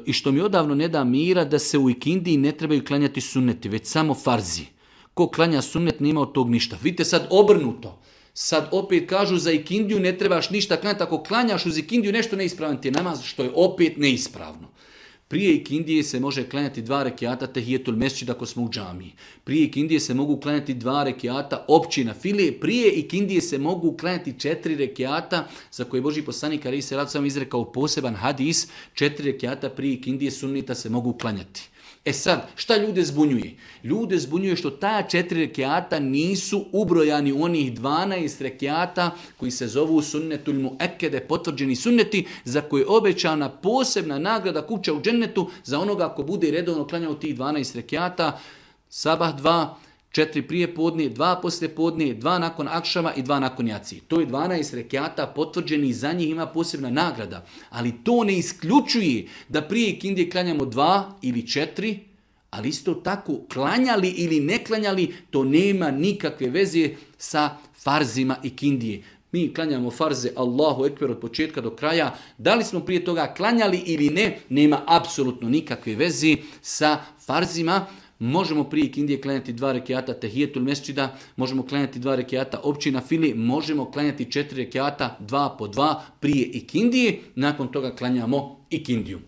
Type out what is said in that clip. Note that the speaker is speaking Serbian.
i što mi odavno ne da mira da se u ikindiji ne trebaju klanjati sunneti, već samo farzi. Ko klanja sunnet nema od tog ništa. Vidite sad obrnuto. Sad opet kažu za ikindiju ne trebaš ništa klanjati. Ako klanjaš uz ikindiju nešto neispravan ti je namaz, što je opet neispravno. Prije ikindije se može klanjati 2 rekiata tehijetul mesdžid ako smo u džamiji. Prije ikindije se mogu klanjati 2 rekiata općina file. Prije ikindije se mogu klanjati 4 rekiata za koje Božji poslanik alejhi selatu selam izrekao poseban hadis. 4 rekiata prije ikindije sunnita se mogu klanjati. E sad, šta ljude zbunjuje? Ljude zbunjuje što ta 4 rekiata nisu ubrojani u onih 12 rekiata koji se zovu sunnetul muekede, potvrđeni sunneti, za koje je obećana posebna nagrada kuća u džennetu za onoga ko bude redovno klanjao tih 12 rekiata, sabah 2, 4 prije podne, 2 poslije podne, 2 nakon akšama i 2 nakon jaci. To je 12 rekiata potvrđeni, za njih ima posebna nagrada. Ali to ne isključuje da prije ikindije klanjamo 2 ili 4, ali isto tako klanjali ili ne klanjali, to nema nikakve veze sa farzima ikindije. Mi klanjamo farze Allahu ekber od početka do kraja. Da li smo prije toga klanjali ili ne, nema apsolutno nikakve veze sa farzima. Možemo prije ikindije klanjati 2 rekiata tehijetul mesdžida, možemo klanjati 2 rekiata općina fili, možemo klanjati 4 rekiata 2 po 2 prije ikindije, nakon toga klanjamo ikindiju.